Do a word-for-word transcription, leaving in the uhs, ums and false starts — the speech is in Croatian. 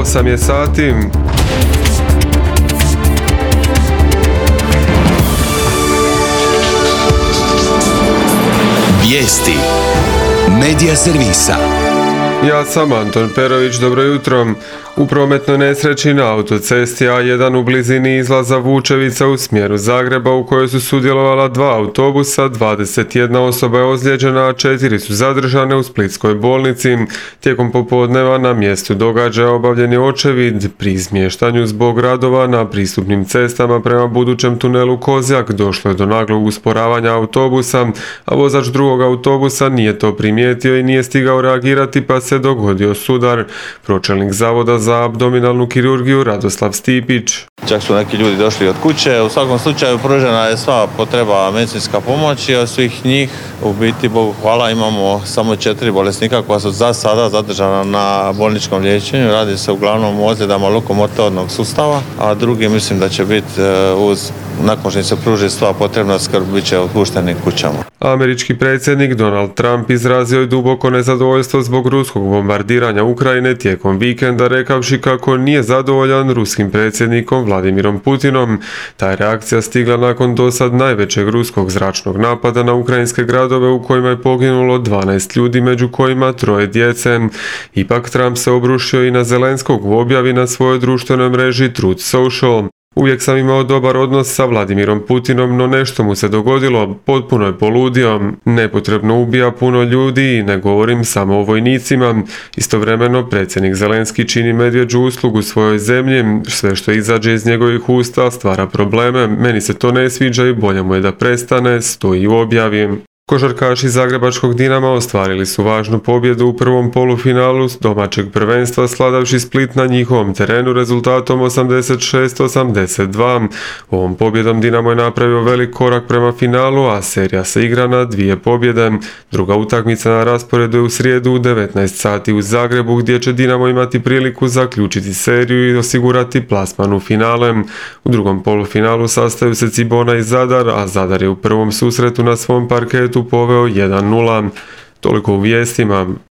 osam je sati. Vijesti Medija servisa. Ja sam Anton Perović, dobro jutro. U prometnoj nesreći na autocesti A jedan u blizini izlaza Vučevica u smjeru Zagreba u kojoj su sudjelovala dva autobusa, dvadeset jedna osoba je ozlijeđena, a četiri su zadržane u Splitskoj bolnici. Tijekom popodneva na mjestu događaja obavljen je očevid pri izmještanju zbog radova na pristupnim cestama prema budućem tunelu Kozjak. Došlo je do naglog usporavanja autobusa, a vozač drugog autobusa nije to primijetio i nije stigao reagirati pa se dogodio sudar. Pročelnik Zavoda za abdominalnu kirurgiju Radoslav Stipić. Čak su neki ljudi došli od kuće. U svakom slučaju pružena je sva potreba medicinska pomoć i od svih njih u biti, Bogu hvala, imamo samo četiri bolesnika koja su za sada zadržana na bolničkom liječenju. Radi se uglavnom o ozljedama lokomotornog sustava, a drugi mislim da će biti uz nakon što im se pruži sva potrebna skrb bit će otpušteni kućama. Američki predsjednik Donald Trump izrazio je duboko nezadovoljstvo zbog ruskog bombardiranja Ukrajine tijekom vikenda, rekavši kako nije zadovoljan ruskim predsjednikom Vladimirom Putinom. Ta je reakcija stigla nakon dosad najvećeg ruskog zračnog napada na ukrajinske gradove u kojima je poginulo dvanaest ljudi, među kojima troje djece. Ipak Trump se obrušio i na Zelenskog u objavi na svojoj društvenoj mreži Truth Social. Uvijek sam imao dobar odnos sa Vladimirom Putinom, no nešto mu se dogodilo, potpuno je poludio. Nepotrebno ubija puno ljudi i ne govorim samo o vojnicima. Istovremeno predsjednik Zelenski čini medvjeđu uslugu svojoj zemlji, sve što izađe iz njegovih usta stvara probleme, meni se to ne sviđa i bolje mu je da prestane, stoji u objavi. Košarkaši zagrebačkog Dinama ostvarili su važnu pobjedu u prvom polufinalu domaćeg prvenstva sladavši Split na njihovom terenu rezultatom osamdeset šest osamdeset dva. Ovom pobjedom Dinamo je napravio velik korak prema finalu, a serija se igra na dvije pobjede. Druga utakmica na rasporedu je u srijedu u devetnaest sati u Zagrebu, gdje će Dinamo imati priliku zaključiti seriju i osigurati plasman u finale. U drugom polufinalu sastaju se Cibona i Zadar, a Zadar je u prvom susretu na svom parketu poveo jedan nula. Toliko u vijestima.